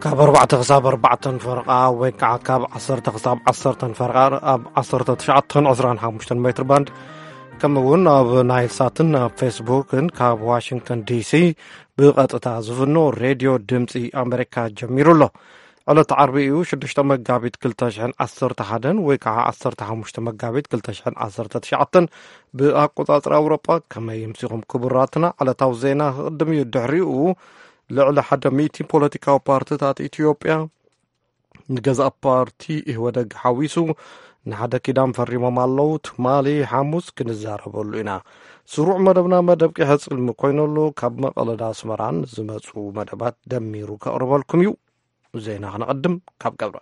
ካብ ኣርባዕተ ክሳብ ኣርባዕተን ፈረቓ ወይ ከዓ ካብ ዓሰርተ ክሳብ ዓሰርተን ፈረቓ ኣብ ዓሰርተ ትሽዓተን ዕስራን ሓሙሽተን ሜትር ባንድ፣ ከምኡ እውን ኣብ ናይል ሳትን ኣብ ፌስቡክን ካብ ዋሽንግተን ዲሲ ብቐጥታ ዝፍኖ ሬድዮ ድምፂ ኣሜሪካ ጀሚሩ ኣሎ። ዕለት ዓርቢ እዩ፣ ሽዱሽተ መጋቢት ክልተ ሽሕን ዓሰርተ ሓደን ወይ ከዓ ዓሰርተ ሓሙሽተ መጋቢት ክልተ ሽሕን ዓሰርተ ትሽዓተን ብኣቆፃፅራ ኣውሮጳ። ከመይ ይምሲኹም ክቡራትና? ዕለታዊ ዜና ክቕድም እዩ። ድሕሪኡ ልዕሊ ሓደ ሚእቲ ፖለቲካዊ ፓርትታት ኢትዮጵያ ንገዛእ ፓርቲ ኢህወደግ ሓዊሱ ንሓደ ኪዳን ፈሪሞም ኣለዉ። ትማሊ ሓሙስ ክንዛረበሉ ኢና። ስሩዕ መደብና መደብ ቂሐ ጽልሚ ኮይነሉ ካብ መቐለዳ ኣስመራን ዝመጹ መደባት ደሚሩ ከቕርበልኩም እዩ። ዜና ክነቐድም ካብ ገብረ።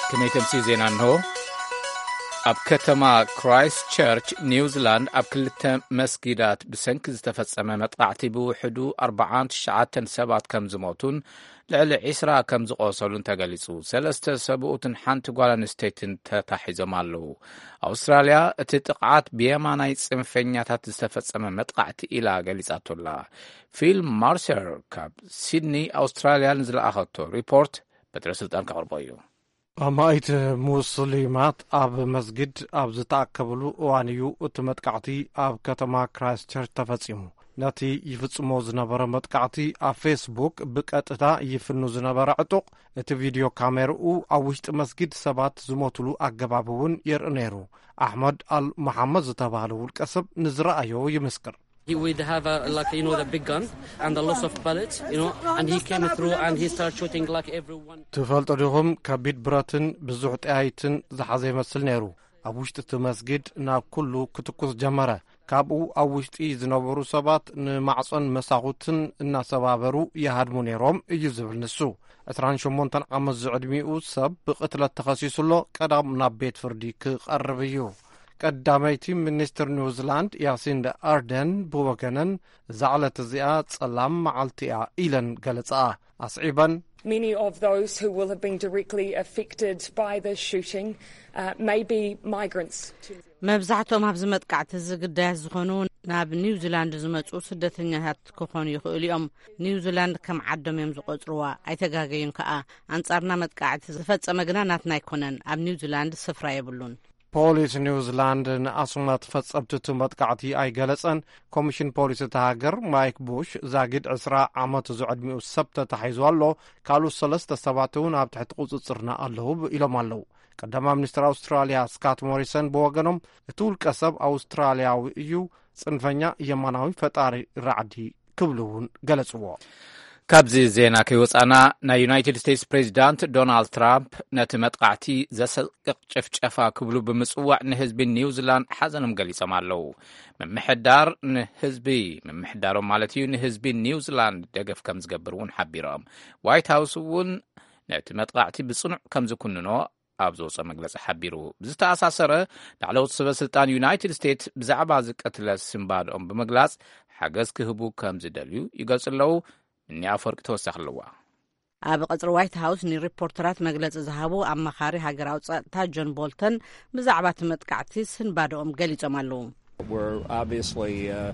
ከመይ ተምሲ ዜና እንሆ። ኣብ ከተማ ክራይስት ቸርች ኒውዚላንድ ኣብ ክልተ መስጊዳት ብሰንኪ ዝተፈጸመ መጥቃዕቲ ብውሕዱ ኣርባዓን ትሽዓተን ሰባት ከም ዝሞቱን ልዕሊ ዒስራ ከም ዝቖሰሉን ተገሊጹ። ሰለስተ ሰብኡትን ሓንቲ ጓል ኣንስተይትን ተታሒዞም ኣለዉ። ኣውስትራልያ እቲ ጥቕዓት ብየማናይ ጽንፈኛታት ዝተፈጸመ መጥቃዕቲ ኢላ ገሊጻቶ ኣላ። ፊል ማርሰር ካብ ሲድኒ ኣውስትራልያ ንዝለኣኸቶ ሪፖርት በትረ ስልጣን ከቕርቦ እዩ። ኣማኢት ሙስሊማት ኣብ መስጊድ ኣብ ዝተኣከብሉ እዋን እዩ እቲ መጥቃዕቲ ኣብ ከተማ ክራይስቸርች ተፈጺሙ። ነቲ ይፍጽሞ ዝነበረ መጥቃዕቲ ኣብ ፌስቡክ ብቀጥታ ይፍኑ ዝነበረ ዕጡቕ፣ እቲ ቪድዮ ካሜርኡ ኣብ ውሽጢ መስጊድ ሰባት ዝሞትሉ ኣገባብ እውን የርኢ ነይሩ። ኣሕመድ ኣል መሓመድ ዝተባህለ ውልቀ ሰብ ንዝረኣዮ ይምስክር። He would have a, like, you know, the big gun and a lot of bullets, you know, and he came through and he started shooting, like, everyone. ትፈልጡ ዲኹም፣ ከቢድ ብረትን ብዙሕ ጠያይትን ዝሓዘ ይመስል ነይሩ። ኣብ ውሽጢ እቲ መስጊድ ናብ ኩሉ ክትኩስ ጀመረ። ካብኡ ኣብ ውሽጢ ዝነበሩ ሰባት ንማዕጾን መሳኹትን እናሰባበሩ ይሃድሙ ነይሮም እዩ ዝብል ንሱ። ዕስራን ሸሞንተን ዓመት ዝዕድሚኡ ሰብ ብቕትለት ተኸሲሱ ኣሎ። ቀዳም ናብ ቤት ፍርዲ ክቐርብ እዩ። ቀዳመይቲ ሚኒስትር ኒውዚላንድ ያሲንዳ ኣርደን ብወገነን፣ እዛ ዕለት እዚኣ ጸላም መዓልቲ እያ ኢለን ገለጻ። ኣስዒበን፣ Many of those who will have been directly affected by this shooting, uh, may be migrants. መብዛሕትኦም ኣብዚ መጥቃዕቲ እዚ ግዳያት ዝኾኑ ናብ ኒውዚላንድ ዝመጹ ስደተኛታት ክኾኑ ይኽእሉ እዮም። ኒውዚላንድ ከም ዓዶም እዮም ዝቖጽርዋ። ኣይተጋገዩን ከኣ። ኣንጻርና መጥቃዕቲ ዝፈጸመ ግና ናትና ኣይኮነን። ኣብ ኒውዚላንድ ስፍራ የብሉን። ፖሊስ ኒውዚላንድ ንኣስማት ፈጸምቲ እቲ መጥቃዕቲ ኣይገለጸን። ኮሚሽን ፖሊስ እታ ሃገር ማይክ ቡሽ፣ ዛጊድ ዕስራ ዓመት ዝዕድሚኡ ሰብ ተታሒዙ ኣሎ፣ ካልኦት ሰለስተ ሰባት እውን ኣብ ትሕቲ ቁጽጽርና ኣለዉ ኢሎም ኣለዉ። ቀዳማይ ሚኒስትር ኣውስትራልያ ስካት ሞሪሰን ብወገኖም፣ እቲ ውልቀ ሰብ ኣውስትራልያዊ እዩ፣ ጽንፈኛ የማናዊ ፈጣሪ ራዕዲ ክብሉ እውን ገለጽዎ። ካብዚ ዜና ከይወጻና፣ ናይ ዩናይትድ ስቴትስ ፕሬዚዳንት ዶናልድ ትራምፕ ነቲ መጥቃዕቲ ዘሰቅቕ ጭፍጨፋ ክብሉ ብምጽዋዕ ንህዝቢ ኒውዚላንድ ሓዘኖም ገሊጾም ኣለዉ። ምምሕዳር ንህዝቢ፣ ምምሕዳሮም ማለት እዩ፣ ንህዝቢ ኒውዚላንድ ደገፍ ከም ዝገብር እውን ሓቢሮም። ዋይት ሃውስ እውን ነቲ መጥቃዕቲ ብጽኑዕ ከም ዝኩንኖ ኣብ ዝወጾ መግለጺ ሓቢሩ። ብዝተኣሳሰረ፣ ላዕለዎት ሰበ ስልጣን ዩናይትድ ስቴትስ ብዛዕባ እዚ ቅትለት ስንባድኦም ብምግላጽ ሓገዝ ክህቡ ከም ዝደልዩ ይገልጹ ኣለዉ። እኒ ኣፈወርቂ ተወሳኺ ኣለዋ። ኣብ ቀጽሪ ዋይት ሃውስ ንሪፖርተራት መግለጺ ዝሃቡ ኣማኻሪ ሃገራዊ ጸጥታ ጆን ቦልተን ብዛዕባ እቲ መጥቃዕቲ ስንባድኦም ገሊጾም ኣለዉ። We're obviously, uh,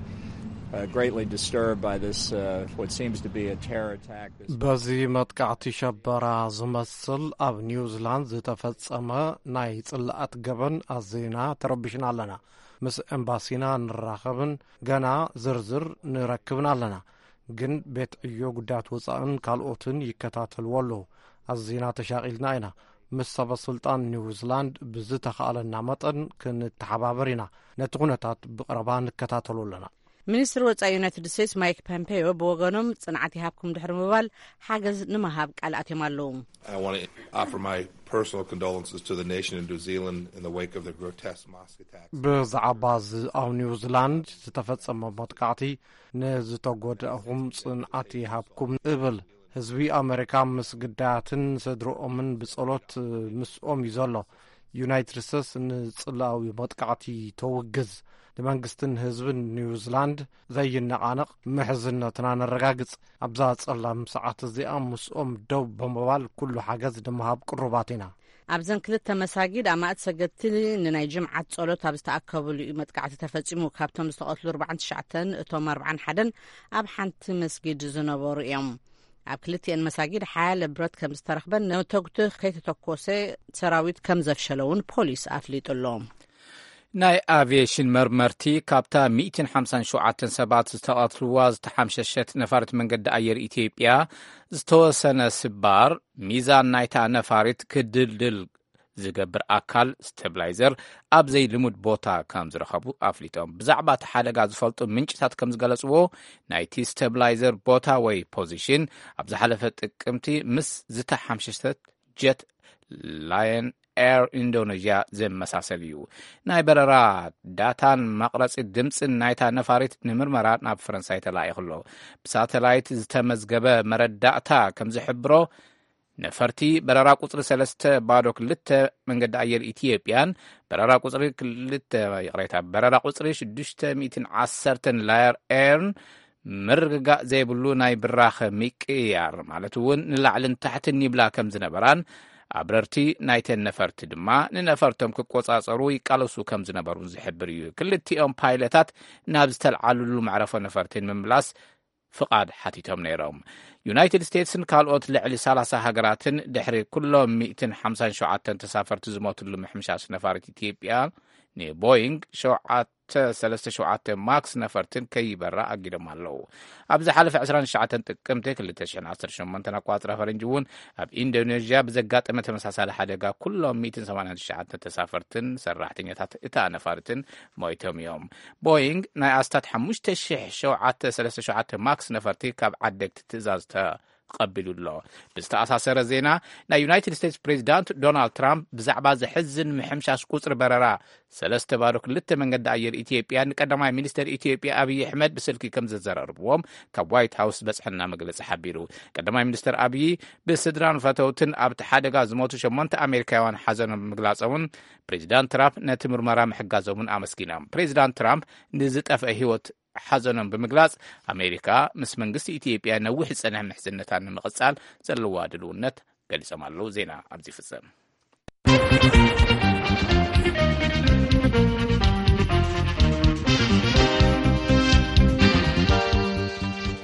uh, greatly disturbed by this, uh, what seems to be a terror attack. This በዚ መጥቃዕቲ ሸበራ ዝመስል ኣብ ኒውዚላንድ ዝተፈጸመ ናይ ጽልኣት ገበን ኣዚና ተረቢሽና ኣለና። ምስ ኤምባሲና ንራኸብን ገና ዝርዝር ንረክብን ኣለና። ግን ቤት ዕዮ ጉዳያት ወጻእን ካልኦትን ይከታተልዎ ኣለዉ። ኣዚና ተሻቒልና ኢና። ምስ ሰበ ስልጣን ኒውዚላንድ ብዝተኻእለና መጠን ክንተሓባበር ኢና። ነቲ ኩነታት ብቐረባ ንከታተሎ ኣለና። ሚኒስትር ወጻኢ ዩናይትድ ስቴትስ ማይክ ፖምፔዮ ብወገኖም፣ ጽንዓት ይሃብኩም ድሕሪ ምባል፣ ሓገዝ ንምሃብ ቃል ኣትዮም ኣለዉ። I want to offer my personal condolences to the nation in New Zealand in the wake of the grotesque mosque attack. ብዛዕባ እዚ ኣብ ኒውዚላንድ ዝተፈጸመ መጥቃዕቲ ንዝተጎዳእኹም ጽንዓት ይሃብኩም እብል። ህዝቢ ኣመሪካ ምስ ግዳያትን ስድርኦምን ብጸሎት ምስኦም እዩ ዘሎ። ዩናይትድ ስቴትስ ንጽላዊ መጥቃዕቲ ተውግዝ። ንመንግስትን ህዝብን ኒውዚላንድ ዘይነቓነቕ ምሕዝነትና ነረጋግጽ። ኣብዛ ጸላም ሰዓት እዚኣ ምስኦም ደው ብምባል ኩሉ ሓገዝ ንምሃብ ቅሩባት ኢና። ኣብዘን ክልተ መሳጊድ ኣማእት ሰገድቲ ንናይ ጅምዓት ጸሎት ኣብ ዝተኣከብሉ እዩ መጥቃዕቲ ተፈጺሙ። ካብቶም ዝተቐትሉ ኣርባዓን ትሽዓተን፣ እቶም ኣርባዓን ሓደን ኣብ ሓንቲ መስጊድ ዝነበሩ እዮም። ኣብ ክልቲኤን መሳጊድ ሓያለ ብረት ከም ዝተረኽበን ነተጉቲ ከይተተኮሰ ሰራዊት ከም ዘፍሸለ እውን ፖሊስ ኣፍሊጡ ኣሎ። ናይ ኣቪዬሽን መርመርቲ ካብታ ሚእትን ሓምሳን ሸውዓተን ሰባት ዝተቐትልዋ ዝተሓምሸሸት ነፋሪት መንገዲ ኣየር ኢትዮጵያ ዝተወሰነ ስባር፣ ሚዛን ናይታ ነፋሪት ክድልድል ዝገብር ኣካል፣ ስቴብላይዘር፣ ኣብ ዘይልሙድ ቦታ ከም ዝረኸቡ ኣፍሊጦም። ብዛዕባ እቲ ሓደጋ ዝፈልጡ ምንጭታት ከም ዝገለጽዎ፣ ናይቲ ስቴብላይዘር ቦታ ወይ ፖዚሽን ኣብ ዝሓለፈ ጥቅምቲ ምስ ዝተሓምሸሸት ጀት ላየን ኤር ኢንዶኔዥያ ዘመሳሰል እዩ። ናይ በረራ ዳታን መቕረጺ ድምጽን ናይታ ነፋሪት ንምርመራ ናብ ፈረንሳይ ተላኢኹ ኣሎ። ብሳተላይት ዝተመዝገበ መረዳእታ ከም ዝሕብሮ፣ ነፈርቲ በረራ ቁጽሪ ሰለስተ ባዶ ክልተ መንገዲ ኣየር ኢትዮጵያን በረራ ቁጽሪ ክልተ፣ ይቕሬታ፣ በረራ ቁጽሪ ሽዱሽተ ሚእትን ዓሰርተን ላየር ኤርን ምርግጋእ ዘይብሉ ናይ ብራኸ ምቅያር፣ ማለት እውን ንላዕልን ታሕትን ይብላ ከም ዝነበራን፣ ኣብረርቲ ናይተን ነፈርቲ ድማ ንነፈርቶም ክቆጻጸሩ ይቃለሱ ከም ዝነበሩን ዝሕብር እዩ። ክልቲኦም ፓይለታት ናብ ዝተልዓልሉ መዕረፎ ነፈርቲ ንምምላስ ፍቓድ ሓቲቶም ነይሮም። ዩናይትድ ስቴትስን ካልኦት ልዕሊ ሰላሳ ሃገራትን ድሕሪ ኩሎም ሚእትን ሓምሳን ሸውዓተን ተሳፈርቲ ዝሞትሉ ምሕምሻሽ ነፋሪት ኢትዮጵያ ንቦይንግ ሸውዓተ ሰለስተ ሸውዓተ ማክስ ነፈርትን ከይበራ ኣጊዶም ኣለዉ። ኣብ ዝሓለፈ ዕስራን ትሽዓተን ጥቅምቲ ክልተ ሽሕን ዓሰርተ ሸሞንተን ኣቋጽራ ፈረንጂ እውን ኣብ ኢንዶኔዥያ ብዘጋጠመ ተመሳሳሊ ሓደጋ ኩሎም ሚእትን ሰማንያን ትሽዓተን ተሳፈርትን ሰራሕተኛታት እታ ነፋሪትን ሞይቶም እዮም። ቦይንግ ናይ ኣስታት ሓሙሽተ ሽሕ ሸውዓተ ሰለስተ ሸውዓተ ማክስ ነፈርቲ ካብ ዓደግቲ ትእዛዝ ተቐቢሉ ኣሎ። ብዝተኣሳሰረ ዜና፣ ናይ ዩናይትድ ስቴትስ ፕሬዚዳንት ዶናልድ ትራምፕ ብዛዕባ ዘሕዝን ምሕምሻሽ ቁጽሪ በረራ ሰለስተ ባዶ ክልተ መንገዲ ኣየር ኢትዮጵያ ንቀዳማይ ሚኒስተር ኢትዮጵያ ኣብይ ኣሕመድ ብስልኪ ከም ዘዘራርብዎም ካብ ዋይት ሃውስ ዝበጽሐና መግለጺ ሓቢሩ። ቀዳማይ ሚኒስተር ኣብይ ብስድራን ፈተውትን ኣብቲ ሓደጋ ዝሞቱ ሸሞንተ ኣሜሪካውያን ሓዘኖም ብምግላጾምን ፕሬዚዳንት ትራምፕ ነቲ ምርመራ ምሕጋዞምን ኣመስጊኖም። ፕሬዚዳንት ትራምፕ ንዝጠፍአ ህይወት ሓዘኖም ብምግላጽ፣ ኣሜሪካ ምስ መንግስቲ ኢትዮጵያ ነዊሕ ዝጸንሐ ምሕዝነታ ንምቕጻል ዘለዋ ድልውነት ገሊጾም ኣለዉ። ዜና ኣብዚ ይፍጸም።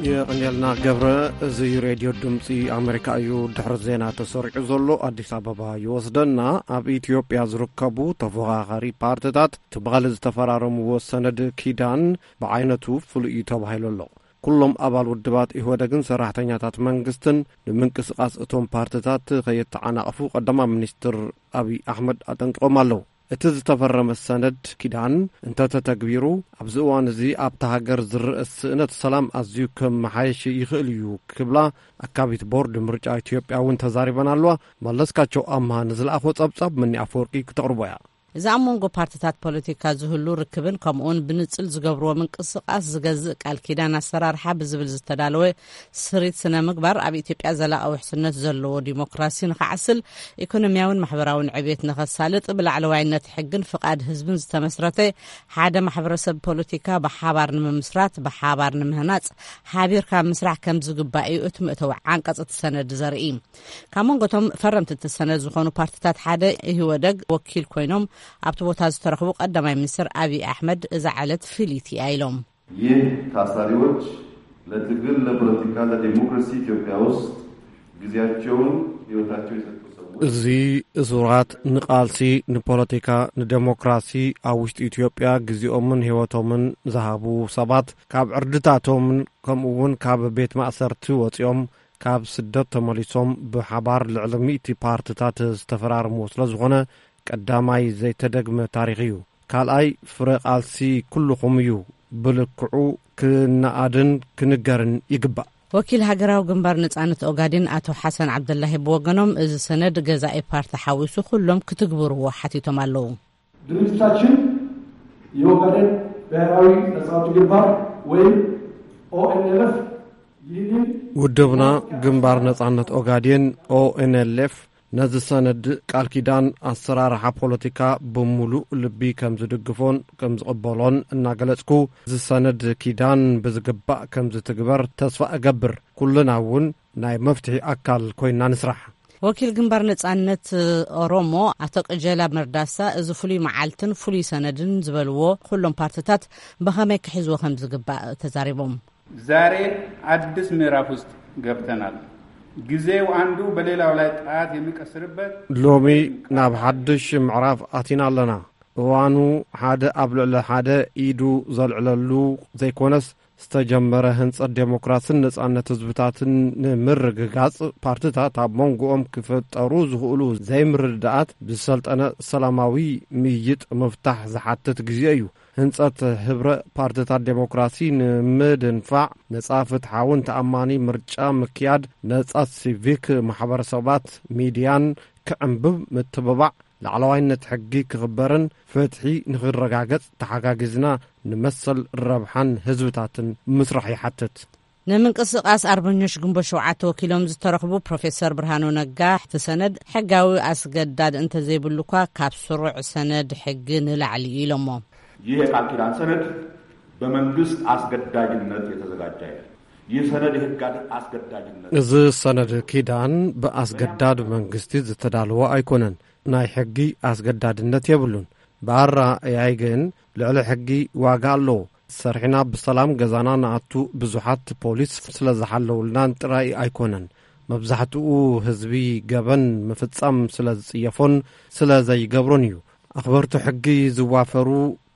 የቐንየልና ገብረ። እዚ ሬድዮ ድምፂ ኣሜሪካ እዩ። ድሕሪ ዜና ተሰሪዑ ዘሎ ኣዲስ ኣበባ ይወስደና። ኣብ ኢትዮጵያ ዝርከቡ ተፎኻኻሪ ፓርቲታት ትማሊ ዝተፈራረምዎ ሰነድ ኪዳን ብዓይነቱ ፍሉይ እዩ ተባሂሉ ኣሎ። ኩሎም ኣባል ውድባት ኢህወደግን ሰራሕተኛታት መንግስትን ንምንቅስቃስ እቶም ፓርቲታት ከየተዓናቕፉ ቀዳማይ ሚኒስትር ኣብይ ኣሕመድ ኣጠንቂቖም ኣለዉ። እቲ ዝተፈረመ ሰነድ ኪዳን እንተተተግቢሩ፣ ኣብዚ እዋን እዚ ኣብታ ሃገር ዝረአ ስእነት ሰላም ኣዝዩ ከመሓየሽ ይኽእል እዩ ክብላ ኣካቢት ቦርድ ምርጫ ኢትዮጵያ እውን ተዛሪበን ኣለዋ። መለስካቸው ኣምሃ ንዝለኣኾ ጸብጻብ መኒ ኣፈወርቂ ክተቕርቦ እያ። እዚ ኣብ መንጎ ፓርቲታት ፖለቲካ ዝህሉ ርክብን ከምኡውን ብንጽል ዝገብርዎ ምንቅስቃስ ዝገዝእ ቃል ኪዳን ኣሰራርሓ ብዝብል ዝተዳለወ ስሪት ስነ ምግባር ኣብ ኢትዮጵያ ዘላቒ ውሕስነት ዘለዎ ዲሞክራሲ ንኽዓስል፣ ኢኮኖሚያውን ማሕበራውን ዕብየት ንኸሳልጥ፣ ብላዕለዋይነት ሕግን ፍቓድ ህዝብን ዝተመስረተ ሓደ ማሕበረሰብ ፖለቲካ ብሓባር ንምምስራት፣ ብሓባር ንምህናጽ፣ ሓቢርካ ምስራሕ ከም ዝግባእ እዩ እቲ መእተዊ ዓንቀጽ እቲ ሰነድ ዘርኢ። ካብ መንጎቶም ፈረምቲ እቲ ሰነድ ዝኾኑ ፓርቲታት ሓደ ኢህወደግ ወኪል ኮይኖም ኣብቲ ቦታ ዝተረኽቡ ቀዳማይ ሚኒስትር ኣብይ ኣሕመድ እዛ ዕለት ፍልይቲ እያ ኢሎም። ይህ ታሳሪዎች ለትግል ለፖለቲካ ለዲሞክራሲ ኢትዮጵያ ውስጥ ጊዜያቸውን ህይወታቸው የሰጡ ሰዎች እዚ እሱራት ንቃልሲ ንፖለቲካ ንዴሞክራሲ ኣብ ውሽጢ ኢትዮጵያ ግዜኦምን ህይወቶምን ዝሃቡ ሰባት ካብ ዕርድታቶምን ከምኡ እውን ካብ ቤት ማእሰርቲ ወፂኦም ካብ ስደት ተመሊሶም ብሓባር ልዕሊ ሚእቲ ፓርቲታት ዝተፈራረምዎ ስለ ዝኾነ ቀዳማይ ዘይተደግመ ታሪኽ እዩ። ካልኣይ ፍረ ቃልሲ ኩልኹም እዩ። ብልክዑ ክነኣድን ክንገርን ይግባእ። ወኪል ሃገራዊ ግንባር ነጻነት ኦጋዴን ኣቶ ሓሰን ዓብደላሂ ብወገኖም፣ እዚ ሰነድ ገዛኢ ፓርቲ ሓዊሱ ኩሎም ክትግብርዎ ሓቲቶም ኣለዉ። ድርጅታችን የኦጋዴን ብሔራዊ ነጻ አውጪ ግንባር ወይም ኦኤንኤልኤፍ ይህንን ውድብና ግንባር ነጻነት ኦጋዴን ኦኤንኤልኤፍ ነዚ ሰነድ ቃል ኪዳን ኣሰራርሓ ፖለቲካ ብምሉእ ልቢ ከም ዝድግፎን ከም ዝቕበሎን እናገለጽኩ፣ እዚ ሰነድ ኪዳን ብዝግባእ ከም ዝትግበር ተስፋ እገብር። ኩልና እውን ናይ መፍትሒ ኣካል ኮይና ንስራሕ። ወኪል ግንባር ነጻነት ኦሮሞ ኣቶ ቅጀላ መርዳሳ፣ እዚ ፍሉይ መዓልትን ፍሉይ ሰነድን ዝበልዎ ኩሎም ፓርትታት ብኸመይ ክሕዝዎ ከም ዝግባእ ተዛሪቦም። ዛሬ አዲስ ምዕራፍ ውስጥ ገብተናል። ጊዜው አንዱ በሌላው ላይ ጣት የሚቀስርበት። ሎሚ ናብ ሓድሽ ምዕራፍ ኣቲና ኣለና። እዋኑ ሓደ ኣብ ልዕሊ ሓደ ኢዱ ዘልዕለሉ ዘይኮነስ፣ ዝተጀመረ ህንጸት ዴሞክራስን ነጻነት ህዝብታትን ንምርግጋጽ፣ ፓርትታት ኣብ መንጎኦም ክፍጠሩ ዝኽእሉ ዘይምርድዳኣት ብዝሰልጠነ ሰላማዊ ምይይጥ ምፍታሕ ዝሓትት ግዜ እዩ። ህንጸት ህብረ ፓርትታት ዴሞክራሲ ንምድንፋዕ፣ ነጻ፣ ፍትሓውን ተኣማኒ ምርጫ ምክያድ፣ ነጻ ሲቪክ ማሕበረሰባት፣ ሚድያን ክዕንብብ ምትብባዕ፣ ላዕለዋይነት ሕጊ ክኽበርን ፍትሒ ንኽረጋገጽ ተሓጋጊዝና ንመሰል ረብሓን ህዝብታትን ምስራሕ ይሓትት። ንምንቅስቃስ ኣርበኞች ግንቦት ሸውዓተ ወኪሎም ዝተረኽቡ ፕሮፌሰር ብርሃኑ ነጋ፣ እቲ ሰነድ ሕጋዊ ኣስገዳድ እንተዘይብሉ እኳ ካብ ስሩዕ ሰነድ ሕጊ ንላዕሊ እዩ ኢሎሞ። ይህ የቃል ኪዳን ሰነድ በመንግስት አስገዳጅነት የተዘጋጀ አይደለም። ይህ ሰነድ የህግ አስገዳጅነት እዚ ሰነድ ኪዳን ብኣስገዳድ መንግስቲ ዝተዳለወ ኣይኮነን። ናይ ሕጊ ኣስገዳድነት የብሉን። ብኣረኣእያይ ግን ልዕሊ ሕጊ ዋጋ ኣለዎ። ሰርሕና ብሰላም ገዛና ንኣቱ ብዙሓት ፖሊስ ስለ ዝሓለውልናን ጥራይ ኣይኮነን። መብዛሕትኡ ህዝቢ ገበን ምፍጻም ስለ ዝጽየፎን ስለ ዘይገብሮን እዩ። ኣኽበርቲ ሕጊ ዝዋፈሩ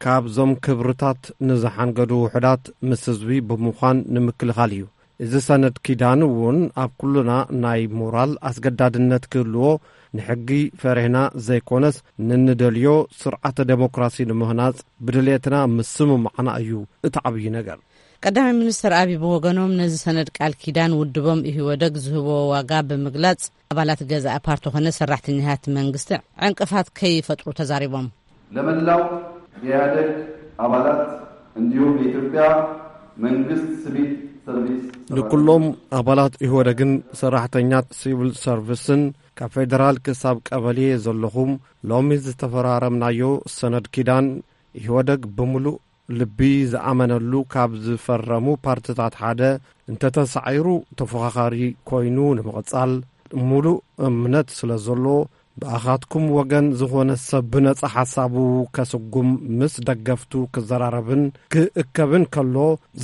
ካብዞም ክብርታት ንዝሓንገዱ ውሑዳት ምስ ህዝቢ ብምዃን ንምክልኻል እዩ። እዚ ሰነድ ኪዳን እውን ኣብ ኩልና ናይ ሞራል ኣስገዳድነት ክህልዎ፣ ንሕጊ ፈሪህና ዘይኮነስ፣ ንንደልዮ ስርዓተ ዴሞክራሲ ንምህናጽ ብድሌትና ምስምማዕና እዩ እቲ ዓብዪ ነገር። ቀዳማይ ሚኒስትር ኣቢ ብወገኖም፣ ነዚ ሰነድ ቃል ኪዳን ውድቦም ኢህወደግ ዝህቦ ዋጋ ብምግላጽ፣ ኣባላት ገዛኢ ፓርቲ ኾነ ሰራሕተኛታት መንግስቲ ዕንቅፋት ከይፈጥሩ ተዛሪቦም። ለመላው የኢህአደግ አባላት እንዲሁም የኢትዮጵያ መንግስት ሲቪል ሰርቪስ ንኩሎም ኣባላት ኢህወደግን ሰራሕተኛት ሲቪል ሰርቪስን፣ ካብ ፌደራል ክሳብ ቀበሌ ዘለኹም፣ ሎሚ ዝተፈራረምናዮ ሰነድ ኪዳን፣ ኢህወደግ ብምሉእ ልቢ ዝኣመነሉ ካብ ዝፈረሙ ፓርትታት ሓደ እንተተሳዒሩ፣ ተፎኻኻሪ ኮይኑ ንምቕጻል ምሉእ እምነት ስለ ዘሎ፣ ብኣኻትኩም ወገን ዝኾነ ሰብ ብነጻ ሓሳቡ ከስጉም፣ ምስ ደገፍቱ ክዘራረብን ክእከብን ከሎ፣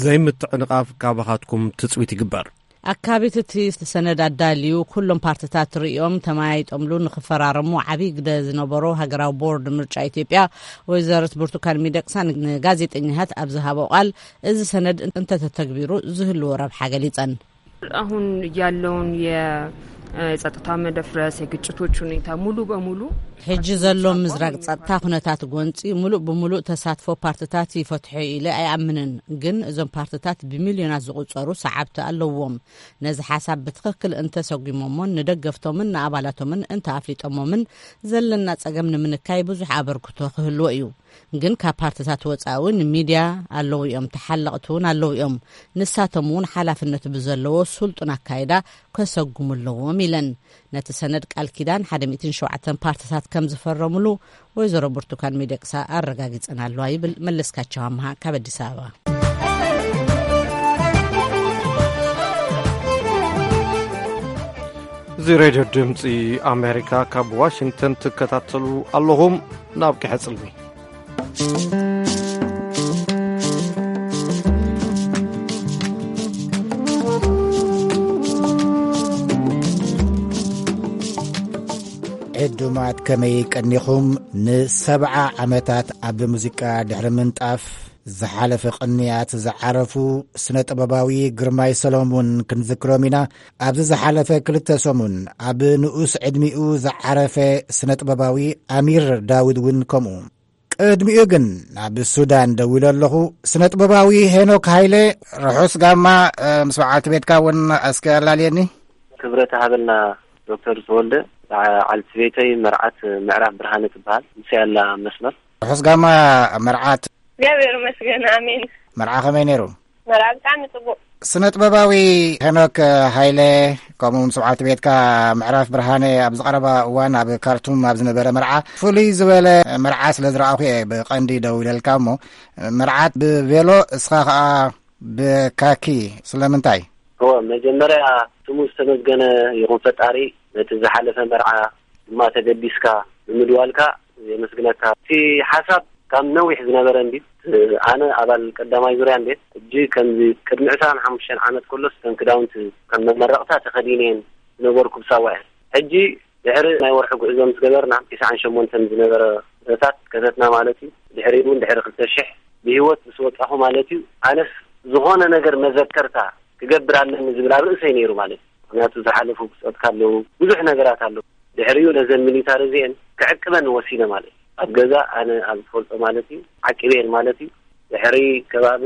ዘይምትዕንቓፍ ካባኻትኩም ትጽቢት ይግበር። ኣካቢት እቲ ሰነድ ኣዳልዩ፣ ኩሎም ፓርትታት ርእዮም ተመያይጦምሉ ንኽፈራረሙ ዓብዪ ግደ ዝነበሮ ሃገራዊ ቦርድ ምርጫ ኢትዮጵያ ወይዘሪት ብርቱካን ሚደቅሳ ንጋዜጠኛታት ኣብ ዝሃቦ ቃል፣ እዚ ሰነድ እንተተተግቢሩ ዝህልዎ ረብሓ ገሊጸን። አሁን ያለውን የጸጥታ መደፍረስ፣ የግጭቶች ሁኔታ ሙሉ በሙሉ ሕጂ ዘሎ ምዝራግ ጸጥታ ኩነታት ጎንጺ፣ ሙሉእ ብሙሉእ ተሳትፎ ፓርትታት ይፈትሖ ኢለ ኣይኣምንን። ግን እዞም ፓርትታት ብሚልዮናት ዝቑጸሩ ሰዓብቲ ኣለዎም። ነዚ ሓሳብ ብትኽክል እንተሰጒሞሞን ንደገፍቶምን ንኣባላቶምን እንተኣፍሊጦሞምን፣ ዘለና ጸገም ንምንካይ ብዙሕ ኣበርክቶ ክህልዎ እዩ። ግን ካብ ፓርትታት ወጻኢ እውን ሚድያ ኣለዉ እዮም፣ ተሓለቕቲ እውን ኣለዉ እዮም። ንሳቶም እውን ሓላፍነት ብዘለዎ ስልጡን ኣካይዳ ከሰጉሙ ኣለዎም ኢለን። ነቲ ሰነድ ቃል ኪዳን ሓደ ሚእትን ሸውዓተን ፓርትታት ከም ዝፈረሙሉ ወይዘሮ ብርቱካን ሚደቅሳ ኣረጋጊጸን ኣለዋ ይብል መለስካቸው ኣምሃ ካብ ኣዲስ ኣበባ። እዚ ሬድዮ ድምፂ ኣሜሪካ ካብ ዋሽንግተን ትከታተሉ ኣለኹም። ናብ ቀሕፅልሚ ዕዱማት ከመይ ቀኒኹም? ንሰብዓ ዓመታት ኣብ ሙዚቃ ድሕሪ ምንጣፍ ዝሓለፈ ቅንያት ዝዓረፉ ስነ ጥበባዊ ግርማይ ሰሎሙን ክንዝክሮም ኢና። ኣብዚ ዝሓለፈ ክልተ ሰሙን ኣብ ንኡስ ዕድሚኡ ዝዓረፈ ስነ ጥበባዊ ኣሚር ዳውድ እውን ከምኡ። ቅድሚኡ ግን ናብ ሱዳን ደዊለ ኣለኹ። ስነ ጥበባዊ ሄኖክ ሃይለ፣ ርሑስ ጋማ፣ እ፣ ምስ በዓልቲ ቤትካ እውን እስከ ኣላልየኒ። ክብረት ሃበልና ዶክተር ተወልደ። በዓልቲ ቤተይ መርዓት ምዕራፍ ብርሃነ ትበሃል። ምስ ያላ መስመር። ርሑስ ጋማ መርዓት። እግዚኣብሔር ይመስገን፣ ኣሜን። መርዓ ከመይ ነይሩ? መርዓ ብጣዕሚ ጽቡቕ። ስነ ጥበባዊ ሄኖክ ሃይለ፣ ከምኡ ምስ በዓልቲ ቤትካ ምዕራፍ ብርሃነ ኣብ ዝቐረባ እዋን ኣብ ካርቱም ኣብ ዝነበረ መርዓ፣ ፍሉይ ዝበለ መርዓ ስለ ዝረኣኹ እየ ብቐንዲ ደው ኢለልካ። እሞ መርዓት ብቬሎ፣ እስኻ ኸኣ ብካኪ፣ ስለምንታይ? እወ፣ መጀመርያ ስሙ ዝተመስገነ ይኹን ፈጣሪ፣ ነቲ ዝሓለፈ መርዓ ድማ ተገዲስካ ብምድዋልካ የመስግነካ። እቲ ሓሳብ ካብ ነዊሕ ዝነበረ እንዲ ኣነ ኣባል ቀዳማይ ዙርያ እንዴ ሕጂ ከምዚ ቅድሚ ዕስራን ሓሙሽተን ዓመት ከሎስ ከም ክዳውንቲ ከም መመረቕታ ተኸዲነየን ዝነበርኩ ብሳዋ እየ። ሕጂ ድሕሪ ናይ ወርሒ ጉዕዞ ምስ ገበርና፣ ዒስራን ሸሞንተን ዝነበረ ኩነታት ከፈትና ማለት እዩ። ድሕሪኡ እውን ድሕሪ ክልተ ሽሕ ብህይወት ምስ ወጣኹ ማለት እዩ። ኣነስ ዝኾነ ነገር መዘከርታ ክገብር ኣለኒ ዝብል ኣብ ርእሰይ ነይሩ ማለት እዩ። ምክንያቱ ዝሓለፉ ብጾትካ ኣለዉ፣ ብዙሕ ነገራት ኣለዉ። ድሕሪኡ ነዘን ሚሊታሪ እዚአን ክዕቅበን ወሲነ ማለት እዩ። ኣብ ገዛ ኣነ ኣብ ዝፈልጦ ማለት እዩ፣ ዓቂበየን ማለት እዩ። ድሕሪ ከባቢ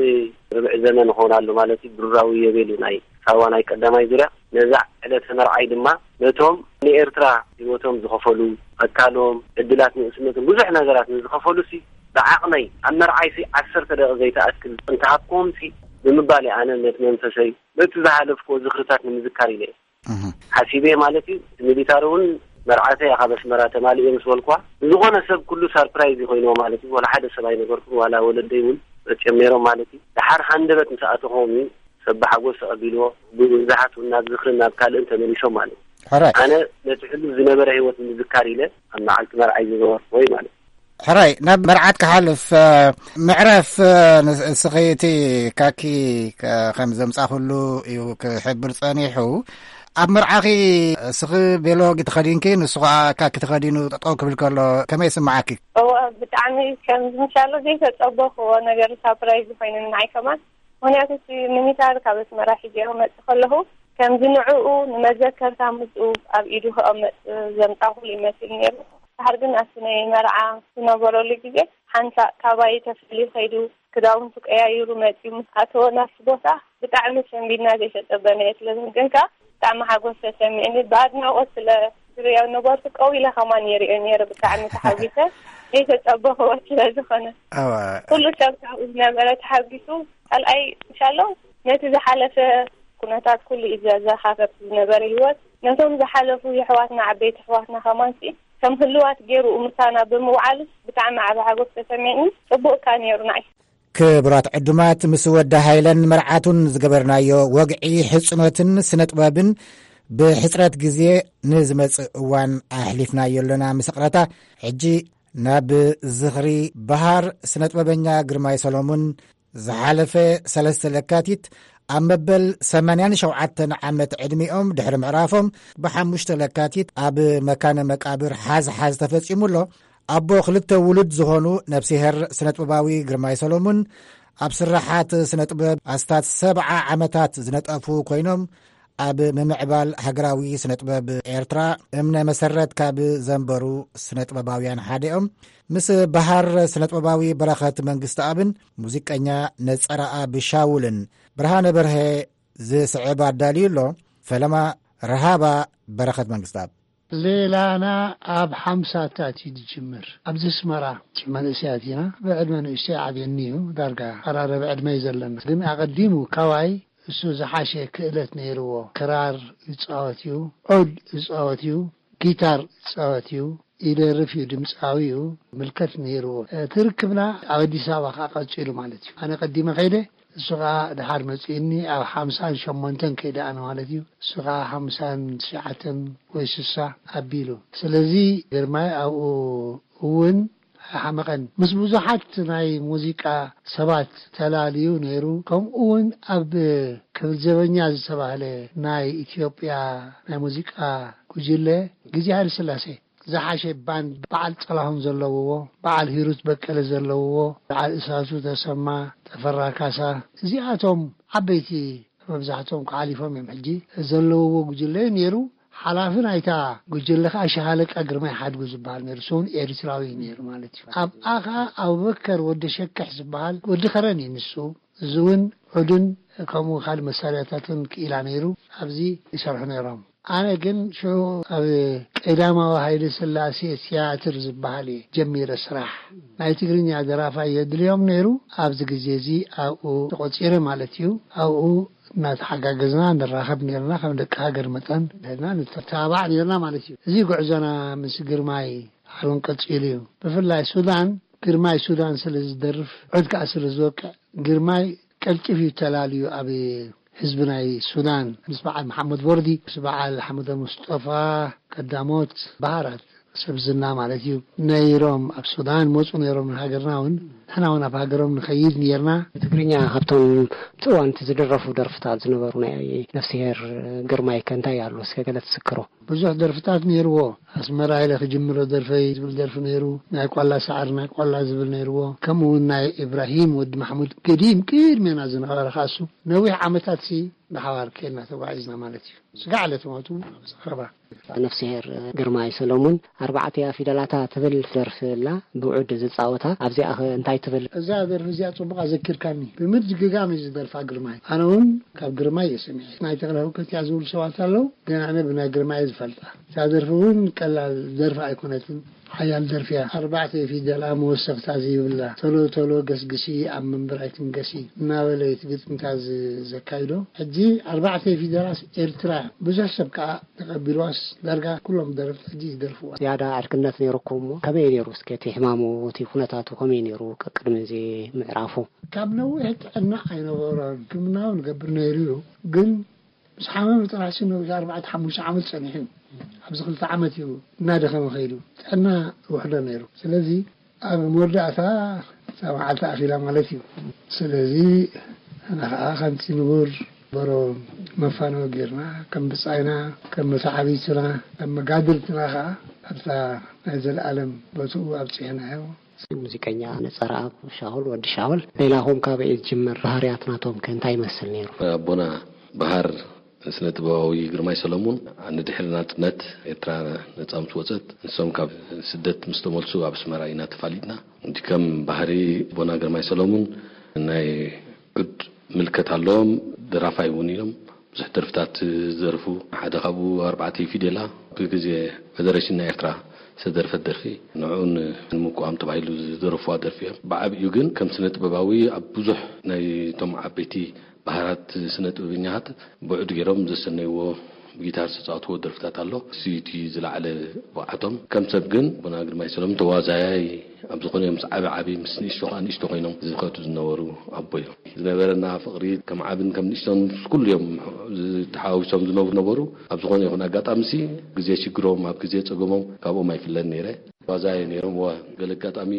ርብዒ ዘመን ይኸውን ኣሎ ማለት እዩ፣ ብሩራዊ የቤሉ ናይ ሳዋ ናይ ቀዳማይ ዙርያ። ነዛ ዕለተ መርዓይ ድማ ነቶም ንኤርትራ ህይወቶም ዝኸፈሉ፣ ኣካሎም፣ ዕድላት ንእስነቶም፣ ብዙሕ ነገራት ንዝኸፈሉ ሲ ብዓቕመይ ኣብ መርዓይ ሲ ዓሰርተ ደቂቕ ዘይትኣክል እንተሃብክዎም ሲ ብምባል እየ ኣነ ነቲ መንፈሰይ ነቲ ዝሓለፍክዎ ዝኽርታት ንምዝካር ኢለ እየ እህ። ሓሲበ ማለት እዩ። እቲ ሚሊታሪ እውን መርዓተይ ካብ ኣስመራ ተማሊኡ ምስ በልኳ፣ ንዝኾነ ሰብ ኩሉ ሳርፕራይዝ እዩ ኮይንዎ ማለት እዩ። ዋላ ሓደ ሰብ ኣይነገርኩን፣ ዋላ ወለደይ እውን መፅዮም ነይሮም ማለት እዩ። ደሓር ሃንደበት ምስ ኣተኹዎም እዩ ሰብ ብሓጎስ ተቐቢልዎ። ብብዙሓት እውን ናብ ዝኽርን ናብ ካልእን ተመሊሶም ማለት እዩ። ሕራይ ኣነ ነቲ ሕሉፍ ዝነበረ ህይወት ንምዝካር ኢለ ኣብ መዓልቲ መርዓይ ዝገበርኩዎ እዩ ማለት እዩ። ሕራይ ናብ መርዓት ክሓልፍ፣ እ፣ ምዕራፍ፣ እ፣ ንስ-፣ እስኺ እቲ ካኪ ከ-፣ ከም ዘምጻኹሉ እዩ ክሕብር ጸኒሑ። ኣብ መርዓኺ እስኺ ቤሎ ተኸዲንኪ፣ ንሱ ኸኣ ካኪ ተኸዲኑ ጠጠው ክብል ከሎ ከመይ ይስምዓኪ? እወ፣ ብጣዕሚ ከም ዝምሻሎ ዘይተጸበኽዎ ነገር ሳፕራይዝ ኮይኑኒ ንዓይ ከማን። ምኽንያቱ እቲ ሚኒታር ካብ ኣስመራ ሒዘዮ መጽእ ከለኹ፣ ከምዚ ንዕኡ ንመዘከርታ ምስኡ ኣብ ኢዱ ክቐመጥ ዘምጻኹሉ ይመስል ነይሩ። ድሓር ግን ኣብቲ ናይ መርዓ ዝነበረሉ ግዜ፣ ሓንሳእ ካባይ ተፈልዩ ከይዱ፣ ክዳውንቱ ቀያይሩ መጺኡ ምስ ኣተወ ናብቲ ቦታ፣ ብጣዕሚ ሰንቢድና ዘይተጸበናዮ ስለ ዝምግንካ፣ ብጣዕሚ ሓጎስ ተሰሚዕኒ። ብኣድናቖት ስለ ዝርእዮ ነበርኩ፣ ቀው ኢለ ከማን ይርእዮ ነይረ። ብጣዕሚ ተሓጒሰ፣ ዘይተጸበኽዎ ስለ ዝኾነ። ኣዋ። ኩሉ ሰብ ካብኡ ዝነበረ ተሓጒሱ፣ ካልኣይ እንሻሎ ነቲ ዝሓለፈ ኩነታት ኩሉ እዩ ዘዘኻኸር ዝነበረ ህይወት። ነቶም ዝሓለፉ የሕዋትና፣ ዓበይቲ ኣሕዋትና ከማንሲ ከም ህልዋት ገይሩ ምሳና ብምውዓሉስ ብጣዕሚ ዓቢ ሓጎስ ተሰሚዕኒ። ጽቡቕ እካ ነይሩ ንዓይ። ክቡራት ዕዱማት፣ ምስ ወዲ ሃይለን መርዓቱን ዝገበርናዮ ወግዒ ሕጽኖትን ስነ ጥበብን ብሕጽረት ግዜ ንዝመጽእ እዋን ኣሕሊፍናዮ ኣለና። ምስ ይቕረታ፣ ሕጂ ናብ ዝኽሪ በሃር ስነ ጥበበኛ ግርማይ ሰሎሙን ዝሓለፈ ሰለስተ ለካቲት ኣብ መበል ሰማንያን ሸውዓተን ዓመት ዕድሚኦም ድሕሪ ምዕራፎም ብሓሙሽተ ለካቲት ኣብ መካነ መቃብር ሓዝ ሓዝ ተፈጺሙ ኣሎ። ኣቦ ክልተ ውሉድ ዝኾኑ ነፍሲሄር ስነጥበባዊ ግርማይ ሰሎሙን ኣብ ስራሓት ስነጥበብ ኣስታት ሰብዓ ዓመታት ዝነጠፉ ኮይኖም ኣብ ምምዕባል ሃገራዊ ስነጥበብ ኤርትራ እምነ መሰረት ካብ ዘንበሩ ስነጥበባውያን ሓደ እዮም። ምስ በሃር ስነጥበባዊ በረኸት መንግስተኣብን ሙዚቀኛ ነጸረኣብ ሻውልን ብርሃነ በርሀ ዝስዕብ ኣዳልዩ ኣሎ። ፈለማ ረሃባ በረኸት መንግስተኣብ። ሌላና ኣብ ሓምሳታት እዩ ዝጅምር። ኣብዚ ኣስመራ መንእሰያት ኢና። ብዕድመ ንእሽተይ ዓብየኒ እዩ። ዳርጋ ቀራረብ ዕድመ እዩ ዘለና። ግን ኣቐዲሙ ካባይ እሱ ዝሓሸ ክእለት ነይርዎ። ክራር ይጻወት እዩ፣ ዑድ ይጻወት እዩ፣ ጊታር ይጻወት እዩ፣ ይደርፍ እዩ፣ ድምጻዊ እዩ። ምልከት ነይርዎ። እቲ ርክብና ኣብ ኣዲስ ኣበባ ከኣ ቀጺሉ ማለት እዩ። ኣነ ቀዲመ ከይደ፣ እሱ ከኣ ድሓር መጺኡኒ፣ ኣብ ሓምሳን ሸሞንተን ከይደ ኣነ ማለት እዩ። እሱ ከኣ ሓምሳን ትሽዓተን ወይ ስሳ ኣቢሉ። ስለዚ ግርማይ ኣብኡ እውን ኣይሓመቐን። ምስ ብዙሓት ናይ ሙዚቃ ሰባት ተላልዩ ነይሩ። ከምኡ እውን ኣብ ክብል ዘበኛ ዝተባህለ ናይ ኢትዮጵያ ናይ ሙዚቃ ጉጅለ ግዜ ሃይለ ስላሴ ዝሓሸ ባንድ፣ በዓል ጥላሁን ዘለውዎ፣ በዓል ሂሩት በቀለ ዘለውዎ፣ በዓል እሳቱ ተሰማ፣ ጠፈራ ካሳ፣ እዚኣቶም ዓበይቲ መብዛሕትኦም ክሓሊፎም እዮም። ሕጂ ዘለውዎ ጉጅለ እዩ ነይሩ። ሓላፊ ናይታ ጉጅለ ከዓ ሻሃለቃ ግርማይ ሓድጉ ዝበሃል ነይሩ። እሱ እውን ኤርትራዊ እዩ ነይሩ ማለት እዩ። ኣብኣ ከዓ ኣቡበከር ወዲ ሸክሕ ዝበሃል ወዲ ከረን እዩ ንሱ። እዚ እውን ዑድን ከምኡ ካልእ መሳርያታትን ክኢላ ነይሩ። ኣብዚ ይሰርሑ ነይሮም። ኣነ ግን ሽዑ ኣብ ቀዳማዊ ሃይለ ስላሴ ትያትር ዝበሃል እየ ጀሚረ ስራሕ። ናይ ትግርኛ ደራፋይ የድልዮም ነይሩ። ኣብዚ ግዜ እዚ ኣብኡ ተቖጺረ ማለት እዩ። ኣብኡ እናተሓጋገዝና ንራኸብ ነይርና። ከም ደቂ ሃገር መጠን ሄድና ንተባባዕ ነይርና ማለት እዩ። እዚ ጉዕዞና ምስ ግርማይ ሓሉን ቀጺሉ እዩ። ብፍላይ ሱዳን፣ ግርማይ ሱዳን ስለ ዝደርፍ፣ ዑድ ከኣ ስለ ዝወቅዕ፣ ግርማይ ቀልጢፉ እዩ ተላልዩ ኣብ ህዝቢ ናይ ሱዳን ምስ በዓል መሓመድ ቦርዲ፣ ምስ በዓል ሓመደ ሙስጠፋ ቀዳሞት በሃራት ሰብ ዝና ማለት እዩ፣ ነይሮም ኣብ ሱዳን መፁ ነይሮም። ንሃገርና እውን ንሕና እውን ኣብ ሃገሮም ንኸይድ ነርና። ብትግርኛ ካብቶም እቲ እዋን እቲ ዝድረፉ ደርፍታት ዝነበሩ ናይ ነፍስሄር ግርማይ ከ እንታይ ኣሎ? እስከ ገለ ትስክሮ። ብዙሕ ደርፍታት ነይርዎ። ኣስመራ ኢለ ክጅምሮ ደርፈይ ዝብል ደርፊ ነይሩ። ናይ ቋላ ሰዓር ናይ ቋላ ዝብል ነይርዎ። ከምኡ እውን ናይ ኢብራሂም ወዲ ማሕሙድ ገዲም ቅድሜና ዝነበረ ካሱ ነዊሕ ዓመታት ሲ ብሓባር ከይድና ተጓዒዝና ማለት እዩ። ስጋዕ ለትሞቱ ኣብ ዘረባ። ነፍስሄር ግርማይ ሰሎሙን ኣርባዕተ ፊደላታ ትብል ደርፊ ኣላ ብውዕድ ዝፃወታ። ኣብዚኣ ኸ እንታይ ትብል? እዛ ደርፊ እዚኣ ፅቡቕ ኣዘኪርካኒ። ብምድግጋም እዩ ዝደርፋ ግርማይ። ኣነ እውን ካብ ግርማይ እየ ሰሚዐ። ናይ ተኽለ ህውከት እያ ዝብሉ ሰባት ኣለዉ፣ ግን ኣነ ብናይ ግርማይ እየ ዝፈልጣ። እዛ ደርፊ እውን ቀላል ደርፊ ኣይኮነትን። ሓያል ደርፊ እያ። ኣርባዕተ ፊደላ መወሰኽታ ዘይብላ። ቶሎ ቶሎ ገስግሲ ኣብ መንበር ኣይትንገሲ እናበለ እቲ ግጥምታ ዝ-፣ ዘካይዶ። ሕጂ ኣርባዕተ ፊደላስ ኤርትራ ብዙሕ ሰብ ከኣ ተቐቢልዋስ ዳርጋ ኩሎም ደረፍቲ ሕጂ ይደርፍዋ። ዝያዳ ዕርክነት ነይሩኩም እሞ ከመይ ነይሩ? እስከ እቲ ሕማሙ፣ እቲ ኩነታቱ ከመይ ነይሩ? ቀቅድሚ እዚ ምዕራፉ። ካብ ነዊሕ ጥዕና ኣይነበሮን። ሕክምና እውን ገብር ነይሩ እዩ። ግን ምስ ሓመመ ጥራሕ ሲ ነዊሕ ኣርባዕተ ሓሙሽተ ዓመት ጸኒሑ እዩ። ኣብዚ ክልተ ዓመት እዩ እናደኸመ ከይዱ። ጥዕና ውሕዶ ነይሩ። ስለዚ ኣብ መወዳእታ እታ መዓልቲ ኣኺላ ማለት እዩ። ስለዚ ንሕና ኸዓ ከምቲ ንቡር በሮ መፋነዊ ጌርና፣ ከም ብጻይና፣ ከም መተዓብይትና፣ ከም መጋድልትና ኸዓ ኣብታ ናይ ዘለኣለም ቦትኡ ኣብጺሕናዮ። ሙዚቀኛ ነጸረኣብ ሻውል፣ ወዲ ሻውል፣ ሌላኹም ካበይ ዝጅምር ባህርያት ናቶም ከ እንታይ ይመስል ነይሩ? ኣቦና ባህር ስነ ጥበባዊ ግርማይ ሰለሙን፣ ንድሕሪ ናጽነት ኤርትራ ነጻ ምስ ወጸት፣ ንሶም ካብ ስደት ምስ ተመልሱ ኣብ ኣስመራ ኢና ተፋሊጥና። እንዲ ከም ባህሪ ኣቦና ግርማይ ሰለሙን ናይ ዑድ ምልከት ኣለዎም። ደራፋይ እውን እዮም። ብዙሕ ደርፍታት ዝደርፉ፣ ሓደ ካብኡ ኣርባዕተ ፊደላ ብግዜ ፈደረሽን ናይ ኤርትራ ዝተደርፈት ደርፊ፣ ንዕኡን ንምቁዋም ተባሂሉ ዝደረፉዋ ደርፊ እዮም። ብዓቢኡ ግን ከም ስነ ጥበባዊ ኣብ ብዙሕ ናይቶም ዓበይቲ ባህራት ስነ ጥበበኛታት ብዑድ ገይሮም ዘሰነይዎ፣ ብጊታር ዝተጻወትዎ ደርፍታት ኣሎ። እሱ እቲ ዝለዓለ ብቕዓቶም። ከም ሰብ ግን ኣቦና ግርማይ ሰሎም ተዋዛያይ ኣብ ዝኾነ እዮም። ምስ ዓቢ ዓቢ፣ ምስ ንእሽቶ ከኣ ንእሽቶ ኮይኖም ዝኸዱ ዝነበሩ ኣቦ እዮም። ዝነበረና ፍቕሪ ከም ዓብን ከም ንእሽቶን ምስ ኩሉ እዮም ዝተሓዋዊሶም ዝነብሩ ነበሩ። ኣብ ዝኾነ ይኹን ኣጋጣሚ ሲ ግዜ ሽግሮም፣ ኣብ ግዜ ጸገሞም ካብኦም ኣይፍለን ነይረ። ተዋዛያይ ነይሮም። ወ-፣ ገለ ኣጋጣሚ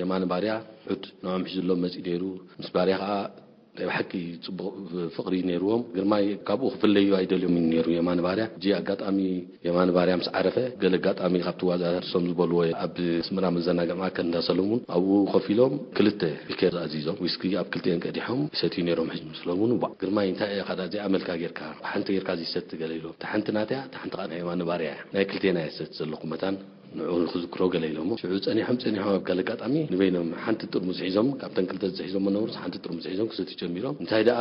የማነ ባርያ ዑድ ንዖም ሒዙሎም መጺኡ ነይሩ። ምስ ባርያ ከኣ ናይ ብሓቂ ጽቡቕ ፍቕሪ ነይርዎም። ግርማይ ካብኡ ክፍለዩ ኣይደልዮምን ነይሩ የማነ ባርያ። ሕጂ ኣጋጣሚ የማነ ባርያ ምስ ዓረፈ፣ ገለ ኣጋጣሚ ካብቲ ዋዛ እሶም ዝበልዎ ኣብ ኣስመራ መዘናግዒ ማእከል እንዳ ሰለሙን ኣብኡ ኮፍ ኢሎም ክልተ ቢኬር ኣዚዞም ዊስኪ ኣብ ክልቲኤን ቀዲሖም ይሰትዩ ነይሮም። ሕጂ ምስ ሰለሙን፣ "ዋእ ግርማይ፣ እንታይ ኢኻ ዳ እዚኣ መልካ ጌርካ? ሓንቲ ጌርካ ዘይሰቲ?" ገለ ኢሎም። "እታ ሓንቲ ናተያ፣ እታ ሓንቲ ከኣ ናይ የማነ ባርያ እያ። ናይ ክልቴና እየ ዝሰቲ ዘለኹ መታን ንዕኡ ንኽዝክሮ" ገለ ኢሎሞ። ሽዑ ጸኒሖም ጸኒሖም ኣብ ገለ ኣጋጣሚ ንበይኖም ሓንቲ ጥርሙዝ ሒዞም፣ ካብተን ክልተ ዝሒዞሞ ነበሩስ ሓንቲ ጥርሙዝ ሒዞም ክሰትዩ ጀሚሮም። "እንታይ ደኣ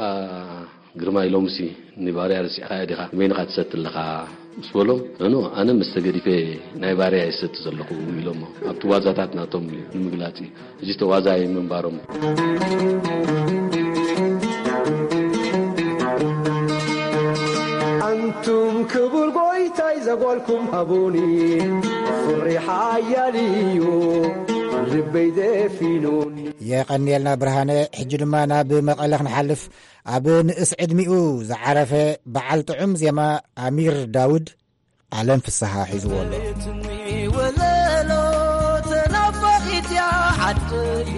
ግርማይ፣ ሎምሲ ንባርያ ረሲዕኻያ ዲኻ? ንበይንኻ ትሰቲ ኣለኻ?" ምስ በሎም፣ "ኖ፣ ኖ፣ ኣነ መስተ ገዲፈ ናይ ባርያ እየ ዝሰቲ ዘለኹ" ኢሎሞ። ኣብቲ ዋዛታት ናቶም እዩ ንምግላጽ እዩ። እዚ ተዋዛያይ ምንባሮም። ኣንቱም ክቡር ጎይታይ ዘጓልኩም ሃቡኒ፣ ፍቕሪ ሓያል እዩ ልበይ ደፊኑኒ። የቐንየልና ብርሃነ። ሕጂ ድማ ናብ መቐለ ክንሓልፍ። ኣብ ንእስ ዕድሚኡ ዝዓረፈ በዓል ጥዑም ዜማ ኣሚር ዳውድ፣ ዓለም ፍስሃ ሒዝዎ ኣሎ። ወለሎ ተናፋቒት እያ ዓደየ